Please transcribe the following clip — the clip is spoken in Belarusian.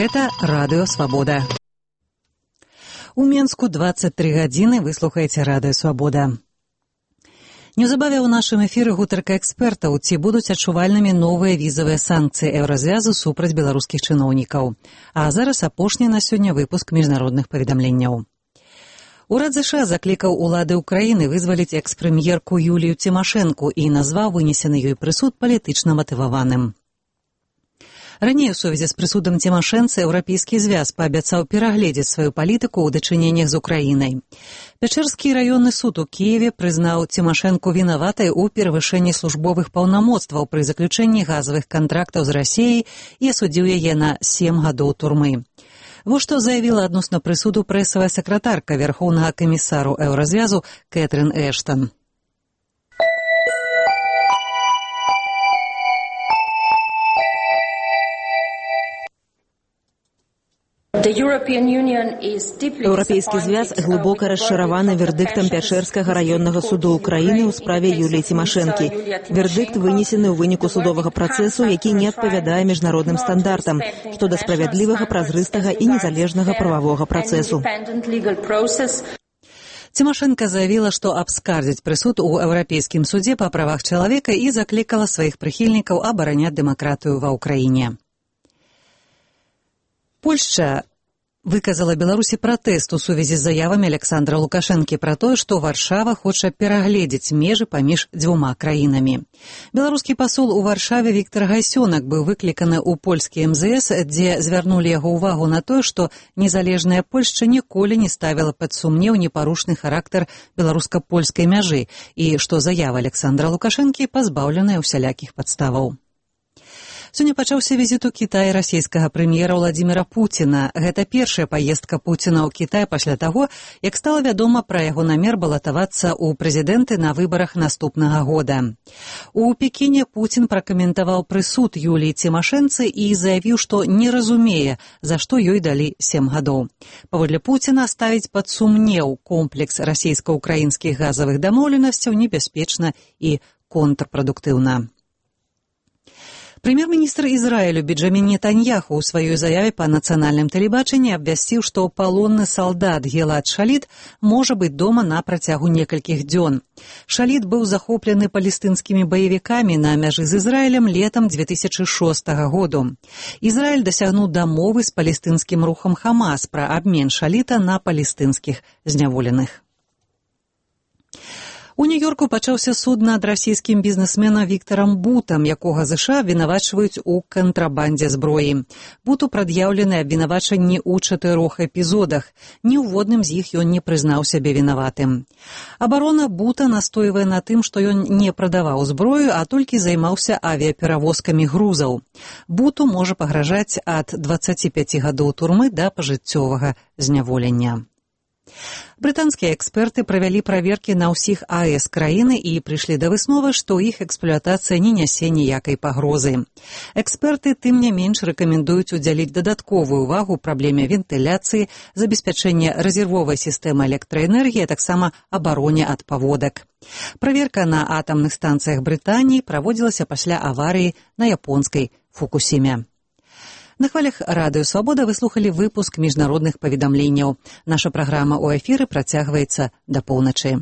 Гэта Радыё Свабода. У Менску 23 гадзіны вы слухаеце Радыё Свабода. Неўзабаве ў нашым эфіры гутарка экспертаў, ці будуць адчувальнымі новыя візавыя санкцыі Еўразвязу супраць беларускіх чыноўнікаў. А зараз апошні на сёння выпуск міжнародных паведамленняў. Урад ЗША заклікаў улады ўкраіны вызваліць экс-прэм'ерку Юлію Цімашэнку і назваў вынесены ёй прысуд палітычна матываваным. Раней у сувязі з прысудам Цімашэнцы Еўрапейскі звяз паабяцаў перагледзець сваю палітыку ў дачыненнях з Украінай. Пячэрскі раённы суд у Кіеве прызнаў Цімашэнку вінаватай у перавышэнні службовых паўнамоцтваў пры заключэнні газавых кантрактаў з Расіяй і асудзіў яе на 7 гадоў турмы. Вось што заявіла адносна прысуду прэсавая сакратарка Вярхоўнага камісару Еўразвязу Кэтрын Эштан. Еўрапейскі звяз глыбока расчараваны вердыктам Пячэрскага раённага суду ўкраіны ў справе Юліі Цімашэнкі. Вердыкт вынесены ў выніку судовага працэсу, які не адпавядае міжнародным стандартам, што да справядлівага, празрыстага і незалежнага прававога працэсу. Цімашэнка заявіла, што абскардзіць прысуд у Еўрапейскім судзе па правах чалавека і заклікала сваіх прыхільнікаў абараняць дэмакратыю ва ўкраіне. Польшча выказала Беларусі пратэст у сувязі з заявамі Александра Лукашэнкі пра тое, што Варшава хоча перагледзець межы паміж дзвюма краінамі. Беларускі пасол у Варшаве Віктар Гайсёнак быў выкліканы ў польскі МЗС, дзе звярнулі яго ўвагу на тое, што незалежная Польшча ніколі не ставіла пад сумнеў непарушны характар беларуска-польскай мяжы і што заява Александра Лукашэнкі пазбаўленая ўсялякіх падставаў. Сёння пачаўся візіт у Кітай расійскага прэм'ера Владзіміра Пуціна. Гэта першая паездка Пуціна ў Кітай пасля таго, як стала вядома пра яго намер балатавацца ў прэзідэнты на выбарах наступнага года. У Пекіне Пуцін пракаментаваў прысуд Юліі Цімашэнцы і заявіў, што не разумее, за што ёй далі 7 гадоў. Паводле Пуціна ставіць пад сумнеў комплекс расійска-ўкраінскіх газавых дамоўленасцяў небяспечна і контрпрадуктыўна. Прэм'ер-міністр Ізраілю Бенджамін Нетаньяху ў сваёй заяве па нацыянальным тэлебачанні абвясціў, што палонны салдат Гілад Шаліт можа быць дома на працягу некалькіх дзён. Шаліт быў захоплены палестынскімі баевікамі на мяжы з Ізраілем летам 2006 году. Ізраіль дасягнуў дамовы з палестынскім рухам Хамас пра абмен Шаліта на палестынскіх зняволеных. У Нью-Йорку пачаўся суд над расійскім бізнесменам Віктарам Бутам, якога ЗША абвінавачваюць у кантрабандзе зброі. Буту прад'яўлены абвінавачанні ў 4 эпізодах. Ні ўводным з іх ён не прызнаў сябе вінаватым. Абарона Бута настойвае на тым, што ён не прадаваў зброю, а толькі займаўся авіяперавозкамі грузаў. Буту можа пагражаць ад 25 гадоў турмы да пажыццёвага зняволення. Брытанскія эксперты правялі праверкі на ўсіх АЭС краіны і прыйшлі да высновы, што іх эксплуатацыя не нясе ніякай пагрозы. Эксперты, тым не менш, рэкамендуюць удзяліць дадатковую ўвагу праблеме вентыляцыі, забеспячэння рэзервовай сістэмы электраэнергіі, а таксама абароне ад паводак. Праверка на атамных станцыях Брытаніі праводзілася пасля аварыі на японскай Фукусіме. На хвалях Радыё Свабода вы слухалі выпуск міжнародных паведамленняў. Наша праграма ў эфіры працягваецца да поўначы.